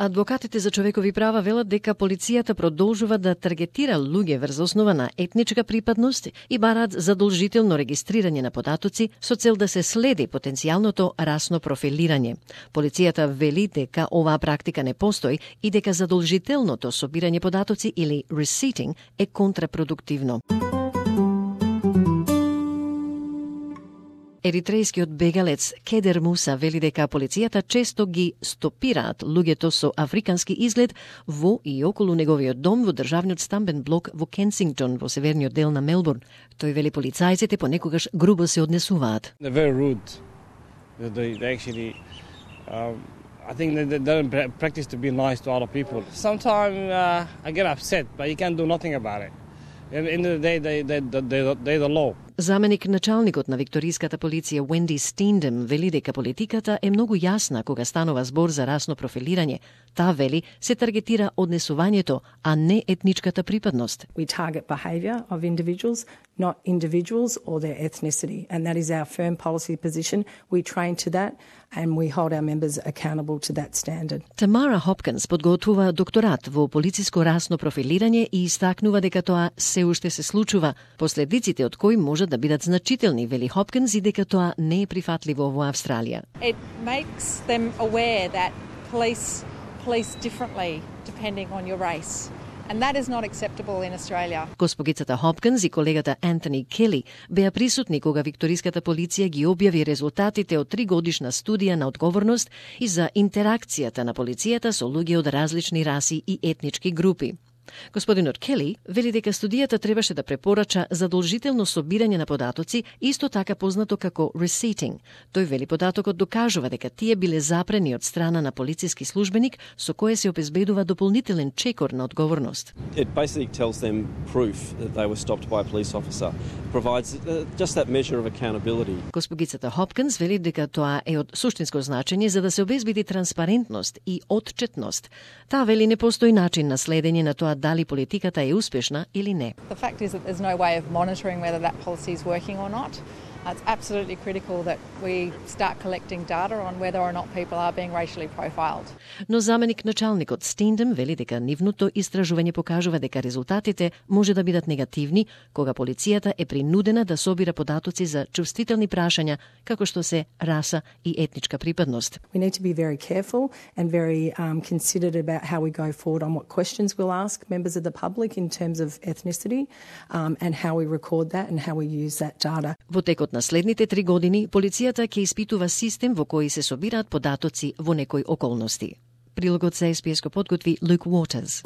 Адвокатите за човекови права велат дека полицијата продолжува да таргетира луѓе врз основа на етничка припадност и бараат задолжително регистрирање на податоци со цел да се следи потенцијалното расно профилирање. Полицијата вели дека оваа практика не постои и дека задолжителното собирање податоци или receipting е контрапродуктивно. Еритрејскиот бегалец Кедер Муса вели дека полицијата често ги стопираат луѓето со африкански изглед во и околу неговиот дом во државниот стамбен блок во Кенсингтон во северниот дел на Мелбурн. Тој вели полицајците понекогаш грубо се однесуваат. They're very rude. They actually I think they don't practice to be nice to other people. Sometimes I get upset, but you can't do nothing about it. At the end of the day, they're the law. Заменик началникот на викториската полиција Уенди Стиндем вели дека политиката е многу јасна кога станува збор за расно профилирање. Таа вели се таргетира однесувањето, а не етничката припадност. We target behaviour of individuals, not individuals or their ethnicity, and that is our firm policy position. We train to that and we hold our members accountable to that standard. Тамара Хопкинс подготвува докторат во полициско расно профилирање и истакнува дека тоа се уште се случува, последиците од кои можат да бидат значителни, вели Хопкинс, и дека тоа не е прифатливо во Австралија. It makes them aware that police differently depending on your race. And that is not acceptable in Australia. Госпогицата Хопкинс и колегата Антони Кели беа присутни кога викториската полиција ги објави резултатите од 3-годишна студија на одговорност и за интеракцијата на полицијата со луѓе од различни раси и етнички групи. Господинот Кели вели дека студијата требаше да препорача задолжително собирање на податоци, исто така познато како receipting. Тој вели податокот докажува дека тие биле запрени од страна на полициски службеник, со кое се обезбедува дополнителен чекор на одговорност. It basically tells them proof that they were stopped by a police officer. Provides just that measure of accountability. Госпогицата Хопкинс вели дека тоа е од суштинско значење за да се обезбеди транспарентност и отчетност. Таа вели не постои начин на следење на тоа дали политиката е успешна или не. The fact is that there's no way of monitoring whether that policy is working or not. It's absolutely critical that we start collecting data on whether or not people are being racially profiled. Но заменик началникот Стиндем вели дека нивното истражување покажува дека резултатите може да бидат негативни кога полицијата е принудена да собира податоци за чувствителни прашања како што се раса и етничка припадност. We need to be very careful and very considered about how we go forward on what questions we'll ask members of the public in terms of ethnicity and how we record that and how we use that data. Во текот на следните 3 години, полицијата ќе испитува систем во кој се собираат податоци во некои околности. Прилогот за СПС го подготви Luke Waters.